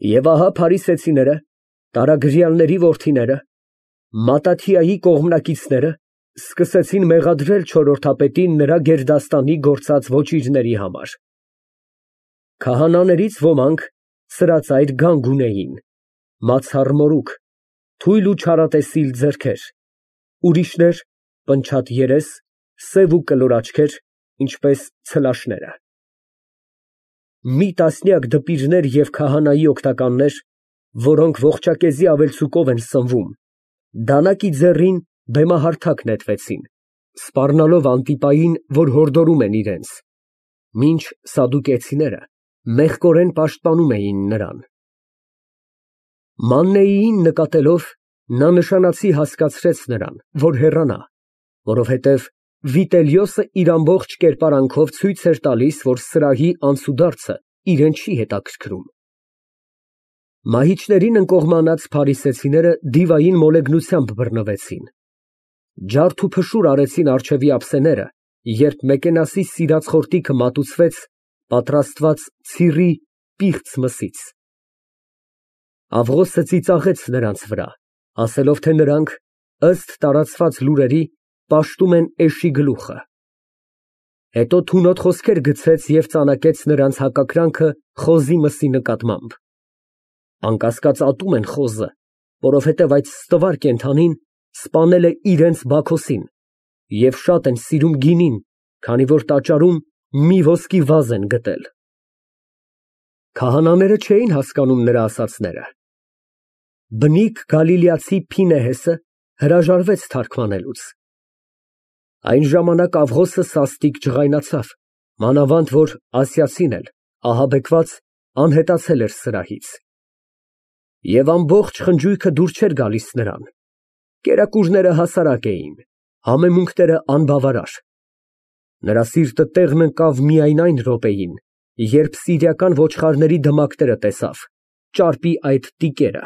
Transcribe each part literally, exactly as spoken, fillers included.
Եվ ահա փարիսեցիները, տարագրյալների որդիները, Մատաթիայի կողմնակիցները սկսեցին մեղադրել չորրորդապետին նրա գերդաստանի գործած ոճիրների համար. քահանաներից ոմանք սրածայր գանգ ունեին, մացառ մորուք, թույլ ու չարատեսիլ ձեռքեր, ուրիշներ պնչատ երես, սև ու կլոր աչքեր, ինչպես ցլաշները։ Մի տասնյակ դպիրներ և քահանայի օգնականներ, որոնք ողջակեզի ավելցուկով են սնվում, դանակի ձեռին բեմահարթակ նետվեցին, սպառնալով Անտիպային, որ հորդորում են իրենց, մինչ սադուկեցիները մեղկորեն պաշտպանում էին նրան։ Մաննեին նկատելով, նա նշանացի հասկացրեց նրան, որ հեռանա, որովհետև Վիտելիոսը իր ամբողջ կերպարանքով ցույց էր տալիս, որ սրահի անցուդարձը իրան չի հետաքրքրում։ Մահիճներին ընկողմանած փարիսեցիները դիվային մոլեգնությամբ բռնվեցին, ջարդ ու փշուր արեցին առջևի ափսեները, երբ Մեկենասի սիրած խորտիքը մատուցվեց պատրաստված ցիռի պիղծ մսից։ Աղղոսը ծիծաղեց նրանց վրա, ասելով, թե նրանք, ըստ տարածված լուրերի, պաշտում են էշի գլուխը։ Հետո թունոտ խոսքեր գցեց և ծանակեց նրանց հակակրանքը խոզի մսի նկատմամբ։ Անկասկած ատում են խոզը, որովհետև այդ ստվար կենդանին սպանել է իրենց Բաքոսին, և շատ են սիրում գինին, քանի որ տաճարում մի ոսկի վազ են գտել։ Քահանաները չէին հասկանում նրա ասածները։ Բնիկ գալիլեացի Փինեհեսը հրաժարվեց թարգմանելուց։ Այն ժամանակ Աղղոսը սաստիկ ջղայնացավ, մանավանդ որ ասիացին էլ, ահաբեկված, անհետացել էր սրահից։ Եվ ամբողջ խնջույքը դուր չէր գալիս նրան, կերակուրները հասարակ էին, համեմունքները անբավարար։ Նրա սիրտը տեղն ընկավ միայն այն րոպեին, երբ սիրիական ոչխարների դմակները տեսավ, ճարպի այդ տիկերը։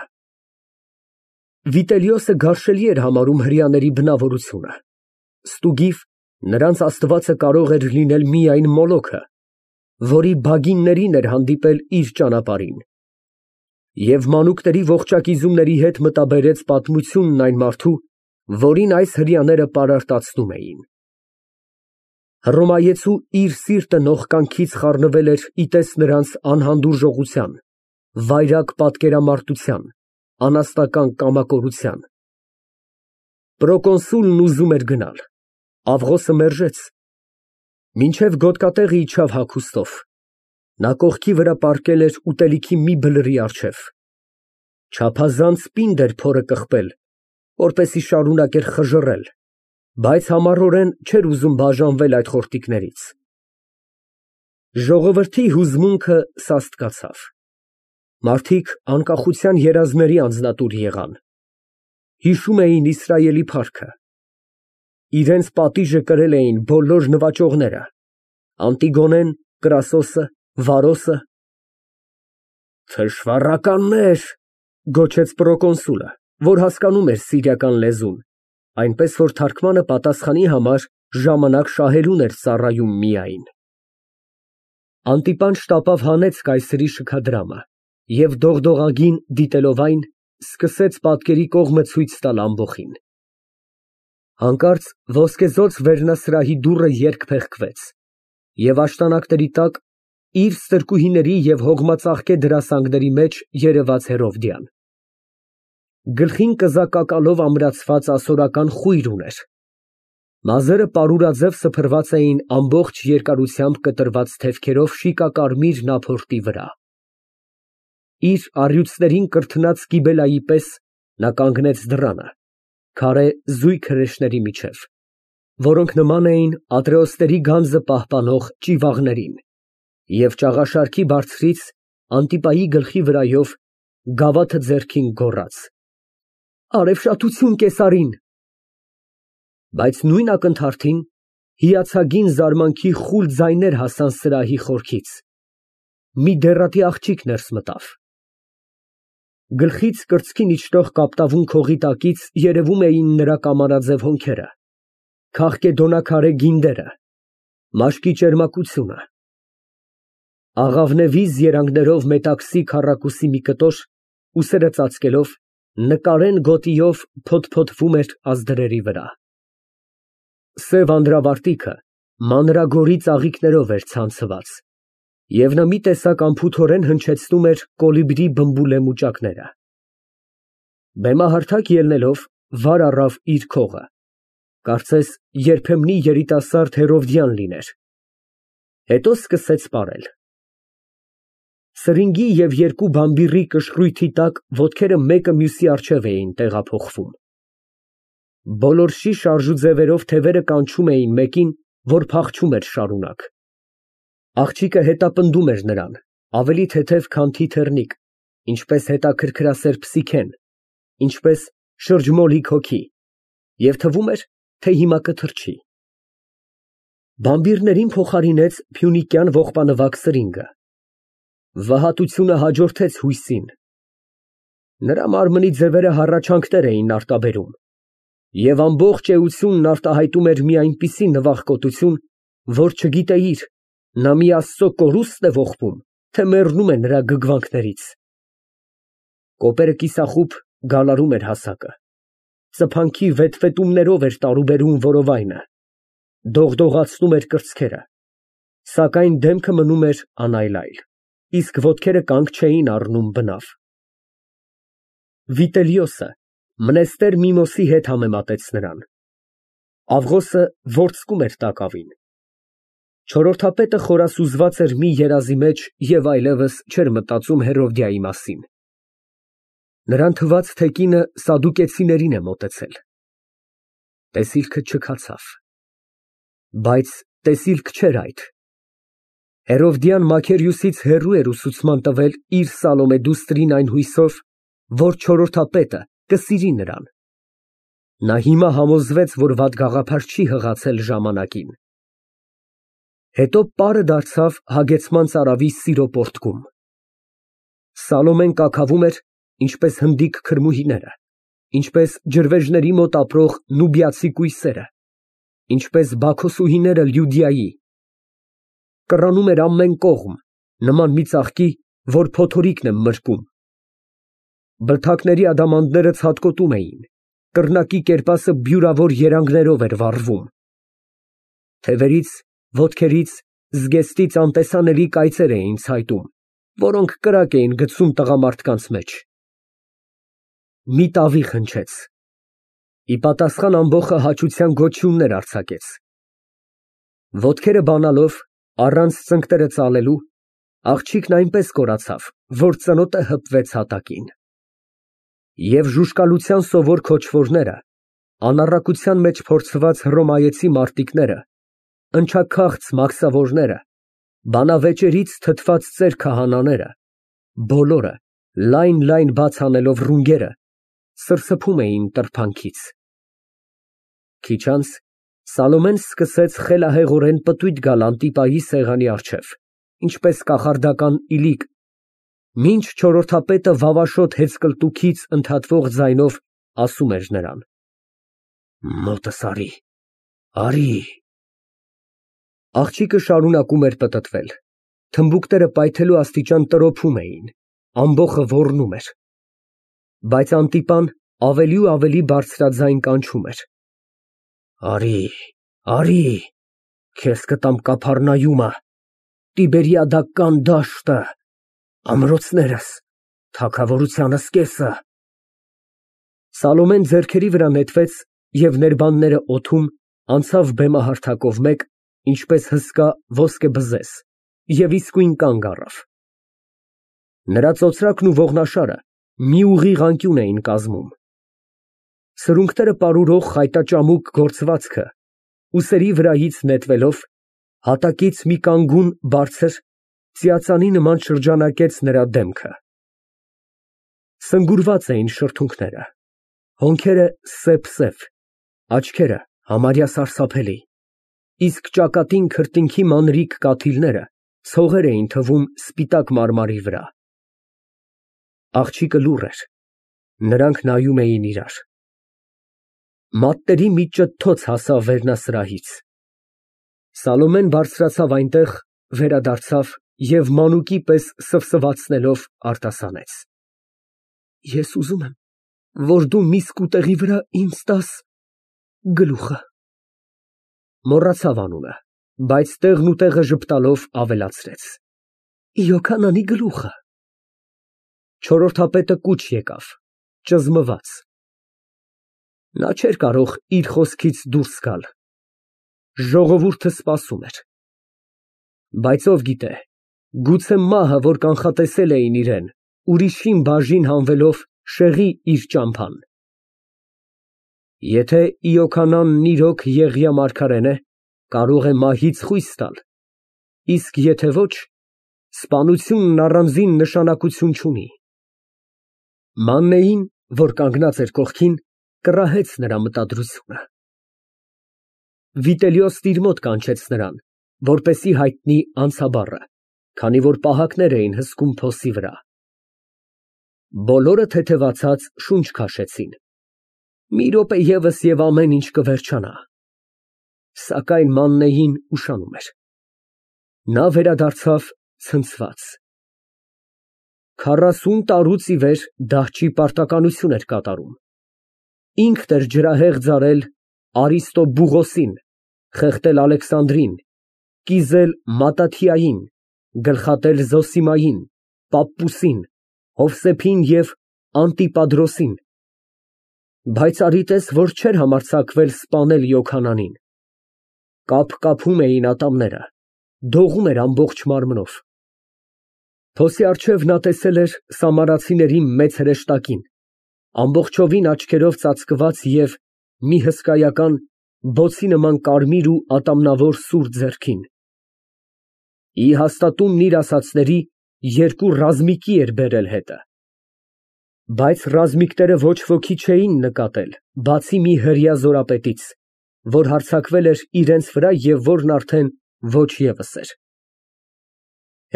Վիտելիոսը գարշելի էր համարում հրեաների բնավորությունը։ Ստուգիվ, նրանց աստվածը կարող էր լինել միայն Մոլոքը, որի բագիններին էր հանդիպել իր ճանապարհին, և մանուկների ողջակիզումների հետ մտաբերեց պատմությունն այն մարդու, որին այս հրեաները պարարտացնում էին։ Հռոմայեցու իր սիրտը նողկանքից խառնվել էր ի տես նրանց անհանդուրժողության, վայրագ պատկերամարտության, անաստական կամակորության։ Պրոկոնսուլն ուզում էր գնալ, Աղղոսը մերժեց, մինչև գոտկատեղը իջավ հագուստով, նա կողքի վրա պառկել էր ուտելիքի մի բլրի առջև, չափազանց պինդ էր փորը կղպել, որպեսզի շարունակեր խժռել, բայց համառորեն չէր ուզում բաժանվել այդ խորտիկներից։ Ժողովրդի հուզմունքը սաստկացավ, մարդիկ անկախության երազների անձնատուր եղան, հիշում էին Իսրայելի փառքը, իրենց պատիժը կրել էին բոլոր նվաճողները, Անտիգոնեն, Կրասոսը, Վարոսը։ Թշվառականներ, գոչեց պրոկոնսուլը, որ հասկանում էր սիրիական լեզուն, այնպես որ թարգմանը պատասխանի համար ժամանակ շահելուն էր ծառայում միայն։ Անտիպան շտապով հանեց կայսրի շքադրամը և դողդողագին դիտելով այն, սկսեց պատկերի կողմը ցույց տալ ամբոխին։ Հանկարծ ոսկեզօծ վերնասրահի դուռը երկփեղկվեց, և աշտանակների տակ իր ստրկուհիների և հողմածաղկե դրասանգների մեջ երևաց Հերովդիան։ Գլխին կզակակալով ամրացված ասորական խույր ուներ, մազերը պարուրաձև սփռված էին ամբողջ երկարությամբ կտրված թևքերով շիկակարմիր նափորտի վրա։ Իր առյուծներին կրթնած Կիբելայի պես նա կանգնեց դռանը, քարե զույգ հրեշների միջև, որոնք նման էին ատրեոստերի գանձը պահպանող ճիվաղներին, և ճաղաշարքի բարձրից Անտիպայի գլխի վրայով գավաթը ձեռքին գոռաց. Արևշատություն կեսարին։ Բայց նույն ակնթարթին հիացագին զարմանքի խուլ ձայներ հասան սրահի խորքից, մի դեռատի աղջիկ ներս մտավ։ Գլխից կրծքին իջնող կապտավուն քողի տակից երևում էին նրա կամարաձև հոնքերը, քաղկեդոնաքարե գինդերը, մաշկի ճերմակությունը։ Աղավնևիզ երանգներով մետաքսի քառակուսի մի կտոր, ուսերը ծածկելով, նկարեն գոտիով փոթփոթվում էր ազդրերի վրա։ Սև անդրավարտիքը մանրագորի ծաղիկներով էր ցանցված, և նա մի տեսակ անփութորեն հնչեցնում էր կոլիբրի բմբուլե մուճակները։ Բեմահարթակ ելնելով, վար առավ իր քողը, կարծես երբեմնի երիտասարդ Հերովդիան լիներ, հետո սկսեց պարել։ Սրինգի և երկու բամբիռի կշռույթի տակ ոտքերը մեկը մյուսի առջև էին տեղափոխվում։ Բոլորշի շարժուձևերով թևերը կանչում էին մեկին, որ փախչում էր շարունակ։ Աղջիկը հետապնդում էր նրան, ավելի թեթև, քան թիթեռնիկ, ինչպես հետաքրքրասեր Փսիքեն, ինչպես շրջմոլիկ հոգի, և թվում էր, թե հիմա կթռչի։ Բամբիռներին փոխարինեց փյունիկյան ողբանվակ սրինգը։ Վհատությունը հաջորդեց հույսին։ Նրա մարմնի ձևերը հառաչանքներ էին արտաբերում, և ամբողջ էությունն արտահայտում էր մի այնպիսի նվախկոտություն, որ չգիտեիր, նա մի Աստծո կորուստ է ողբում, թե մեռնում է նրա գգվանքներից։ Կոպերը կիսախուբ գալարում էր հասակը, ծփանքի վետվետումներով էր տարուբերում որովայնը, դողդողացնում էր կրծքերը, սակայն դեմքը մնում էր անայլայլ, իսկ ոտքերը կանգ չէին առնում բնավ։ Վիտելիոսը Մնեստեր Միմոսի հետ համեմատեց նրան։ Ավղոսը ворցկում էր տակավին։ Չորրորդապետը խորասուզված էր մի երազի մեջ և այլևս չէր մտածում Հերովդիայի մասին։ Նրան թվաց, թե կինը սադուկեցիներին է մոտեցել։ Տեսիլքը չքացավ։ Բայց տեսիլք չէր այդ։ Հերովդիան Մաքերիոսից հեռու էր ուսուցման տվել իր Սալոմե դուստրին այն հույսով, որ չորրորդապետը կսիրի նրան։ Նա հիմա համոզվեց, որ վատ գաղափար չի հղացել ժամանակին։ Հետո պարը դարձավ հագեցման ծարավի սիրո պոռթկում։ Սալոմեն կաքավում էր, ինչպես հնդիկ քրմուհիները, ինչպես ջրվեժների մոտ ապրող նուբիացի կույսերը, ինչպես բաքոսուհիները Լյուդիայի։ Կռանում էր ամեն կողմ, նման մի ծաղկի, որ փոթորիկն է մրկում։ Բլթակների ադամանդները ցատկոտում էին, կռնակի կերպասը բյուրավոր երանգներով էր վառվում։ Թևերից, ոտքերից, զգեստից անտեսանելի կայծեր էին ցայտում, որոնք կրակ էին գցում տղամարդկանց մեջ։ Մի տավիղ հնչեց։ Ի պատասխան ամբոխը հաճության գոչյուններ արձակեց։ Ոտքերը բանալով, առանց ծնկները ծալելու, աղջիկն այնպես կորացավ, որ ծնոտը հպվեց հատակին։ Եվ ժուժկալության սովոր քոչվորները, անառակության մեջ փորձված հռոմայեցի մարտիկները, ընչաքաղց մաքսավորները, բանավեճերից թթված ծեր քահանաները, բոլորը, լայն֊լայն բաց անելով ռունգերը, սրսփում էին տրփանքից։ Քիչ անց Սալոմեն սկսեց խելահեղորեն պտույտ գալ Անտիպայի սեղանի առջև, ինչպես կախարդական իլիկ, մինչ չորրորդապետը վավաշոտ հեծկլտուքից ընդհատվող ձայնով ասում էր նրան. Մոտս արի, արի։ Աղջիկը շարունակում էր պտտվել, թմբուկները պայթելու աստիճան տրոփում էին, ամբոխը ոռնում էր, բայց Անտիպան ավելի ու ավելի բարձրաձայն կանչում էր. Արի, արի, քեզ կտամ Կափառնայումը, Տիբերիադական դաշտը, ամրոցներս, թագավորությանս կեսը։ Սալոմեն ձեռքերի վրա նետվեց և ներբանները օդում անցավ բեմահարթակով մեկ, ինչպես հսկա ոսկեբզեզ, և իսկույն կանգ առավ։ Նրա ծոծրակն ու ողնաշարը մի ուղիղ անկյուն էին կազմում։ Սրունքները պարուրող խայտաճամուկ գործվածքը, ուսերի վրայից նետվելով, հատակից մի կանգուն բարձր ծիածանի նման շրջանակեց նրա դեմքը։ Սնգուրված էին շրթունքները, հոնքերը սեպսև, աչքերը համարյա սարսափելի, իսկ ճակատին քրտինքի մանրիկ կաթիլները ցողեր էին թվում սպիտակ մարմարի վրա։ Աղջիկը լուռ էր, նրանք նայում էին իրար։ Մատների մի ճթոց հասավ վերնասրահից։ Սալոմեն բարձրացավ այնտեղ, վերադարձավ և մանուկի պես սվսվացնելով արտասանեց. Ես ուզում եմ, որ դու մի սկուտեղի վրա ինձ տաս գլուխը։ Մոռացավ անունը, բայց տեղն ու տեղը ժպտալով ավելացրեց. Յոքանանի գլուխը։ Չորրորդապետը կուչ եկավ, ճզմված. նա չէր կարող իր խոսքից դուրս գալ, ժողովուրդը սպասում էր, բայց ով գիտե, գուցե մահը, որ կանխատեսել էին իրան, ուրիշին բաժին հանվելով շեղի իր ճամփան։ Եթե Յոքանանն իրոք Եղիա մարգարեն է, կարող է մահից խույս տալ, իսկ եթե ոչ, սպանությունն առանձին նշանակություն չունի։ Մաննեին, որ կանգնած էր կողքին, կռահեց նրա մտադրությունը։ Վիտելիոս իր մոտ կանչեց նրան, որպեսզի հայտնի անցաբառը, քանի որ պահակներ էին հսկում փոսի վրա։ Բոլորը թեթևացած շունչ քաշեցին։ Մի րոպե ևս և ամեն ինչ կվերջանա։ Սակայն Մաննեին ուշանում էր։ Նա վերադարձավ ցնցված։ Քառասուն տարուց ի վեր դահճի պարտականություն էր կատարում։ Ինքն էր ջրահեղ ձարել Արիստոբուղոսին, խեղդել Ալեքսանդրին, կիզել Մատաթիային, գլխատել Զոսիմային, Պապպուսին, Հովսեփին և Անտիպադրոսին, բայց արի տես, որ չէր համարձակվել սպանել Յոքանանին։ Կափկափում էին ատամները, դողում էր ամբողջ մարմնով։ Փոսի առջև նա տեսել էր սամարացիների մեծ հրեշտակին, ամբողջովին աչքերով ծածկված և մի հսկայական, բոցի նման կարմիր ու ատամնավոր սուր ձեռքին։ Ի հաստատումն իր ասածների, երկու ռազմիկի էր բերել հետը։ Բայց ռազմիկները ոչ ոքի չէին նկատել, բացի մի հրեա զորապետից, որ հարձակվել էր իրենց վրա և որն արդեն ոչ ևս էր։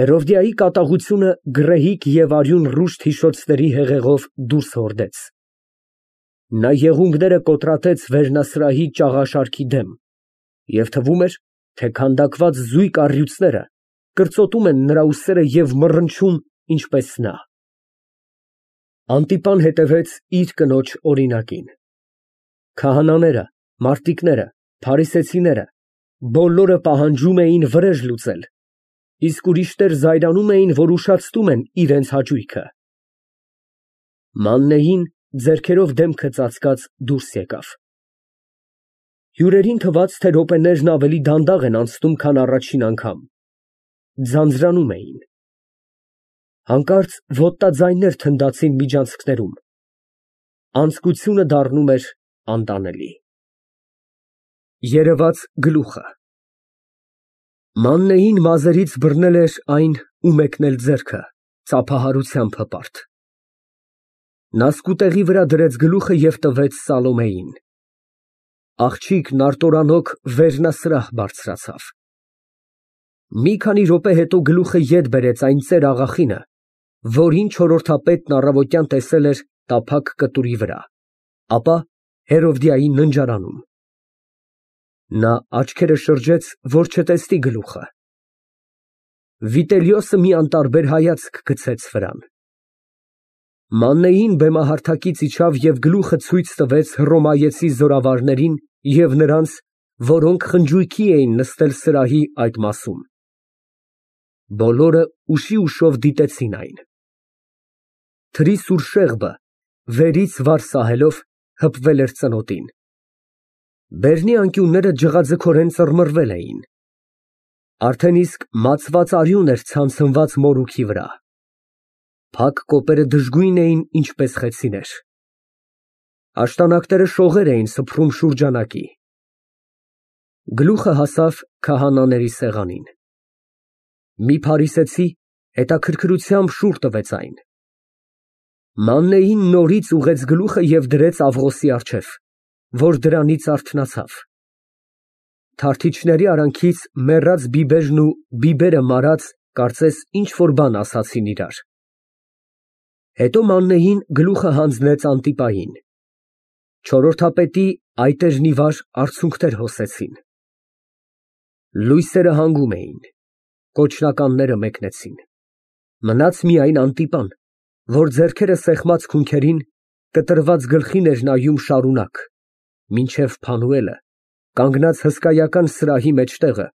Հերովդիայի կատաղությունը գռեհիկ և արյուն ռուշ հիշոցների հեղեղով դուրս հորդեց։ Նա եղունգները կոտրատեց վերնասրահի ճաղաշարքի դեմ, և թվում էր, թե քանդակված զույգ առյուծները կրծոտում են նրա ուսերը և մռնչում, ինչպես նա։ Անտիպան հետևեց իր կնոջ օրինակին։ Քահանաները, մարտիկները, փարիսեցիները բոլորը պահանջում էին վրեժ լուծել, իսկ ուրիշներ զայրանում էին, որ ուշացնում են իրենց հաճույքը։ Մաննեին ձեռքերով դեմքը ծածկած դուրս եկավ։ Հյուրերին թվաց, թե րոպեներն ավելի դանդաղ են անցնում, քան առաջին անգամ, ձանձրանում էին։ Հանկարծ ոտնաձայներ թնդացին միջանցքներում, անձկությունը դառնում էր անտանելի։ Երևաց գլուխը։ Մաննեին մազերից բռնել էր այն ու մեկնել ձեռքը, ծափահարությամբ հպարտ։ Նա սկուտեղի վրա դրեց գլուխը և տվեց Սալոմեյին։ Աղջիկն արտորանոք վերնասրահ բարձրացավ։ Մի քանի րոպե հետո գլուխը ետ բերեց այն ծեր աղախինը, որին չորրորդապետն առավոտյան տեսել էր տափակ կտուրի վրա, ապա Հերովդիայի ննջարանում։ Նա աչքերը շրջեց, որ չտեսնի գլուխը։ Վիտելիոսը մի անտարբեր հայացք գցեց վրան։ Մաննեին բեմահարթակից իջավ և գլուխը ցույց տվեց հռոմայեցի զորավարներին և նրանց, որոնք խնջույքի էին նստել սրահի այդ մասում։ Բոլորը ուշի ուշով դիտեցին այն։ Թրի սուր շեղբը, վերից վար սահելով, հպվել էր ծնոտին։ Բերնի անկյունները ջղաձգորեն ծռմռվել էին։ Արդեն իսկ մածված արյուն էր ցանցնված մորուքի վրա։ Փակ կոպերը դժգույն էին, ինչպես խեցիներ։ Աշտանակները շողեր էին սփռում շուրջանակի։ Գլուխը հասավ քահանաների սեղանին։ Մի փարիսեցի հետաքրքրությամբ շուռ տվեց այն։ Մաննեին նորից ուղղեց գլուխը և դրեց Աղվոսի առջև, որ դրանից արթնացավ։ Թարթիչների արանքից մեռած բիբերն ու բիբերը մարած, կարծես ինչ֊որ բան ասացին իրար։ Հետո Մաննեին գլուխը հանձնեց Անտիպային։ Չորրորդապետի այտերն ի վար արցունքներ հոսեցին։ Լույսերը հանգում էին։ Կոչնականները մեկնեցին։ Մնաց միայն Անտիպան, որ ձեռքերը սեղմած քունքերին, կտրված գլխին էր նայում շարունակ, մինչև Փանուելը, կանգնած հսկայական սրահի մեջտեղը,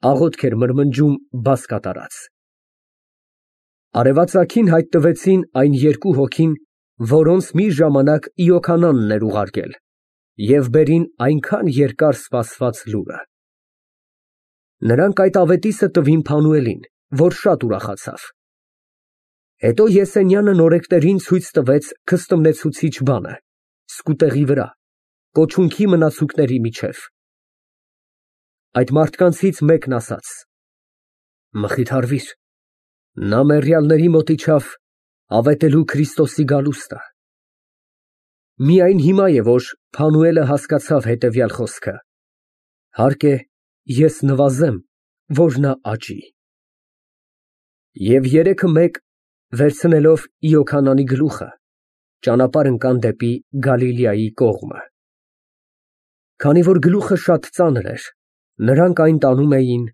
աղոթք էր մրմնջում բաց կատարած։ Արևածագին հայտնվեցին այն երկու հոգին, որոնց մի ժամանակ Իոքանանն էր ուղարկել, և բերին այնքան երկար սպասված լուրը։ Նրանք այդ ավետիսը տվին Փանուելին, որ շատ ուրախացավ։ Հետո Եսենյանը նորեկներին ցույց տվեց քստմնեցուցիչ բանը, սկուտեղի վրա, կոչունքի մնացուկների միջև։ Այդ մարդկանցից մեկն ասաց. «Մխիթարվիր, նա մեռյալների մոտ իջավ ավետելու Քրիստոսի գալուստը»։ Միայն հիմա է, որ Փանուելը հասկացավ հետևյալ խոսքը. «Հարկ է, ես նվազեմ, որ նա աճի»։ Եվ երեքը մեկ, վերցնելով Իոքանանի գլուխը, ճանապարհ ընկան դեպի Գալիլեայի կողմը։ Քանի որ գլուխը շատ ծանր էր, նրանք այն տանում էին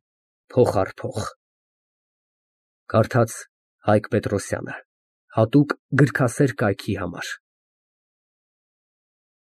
փող առ փող։ Կարդաց Հայկ Պետրոսյանը, հատուկ գրքասեր կայքի համար։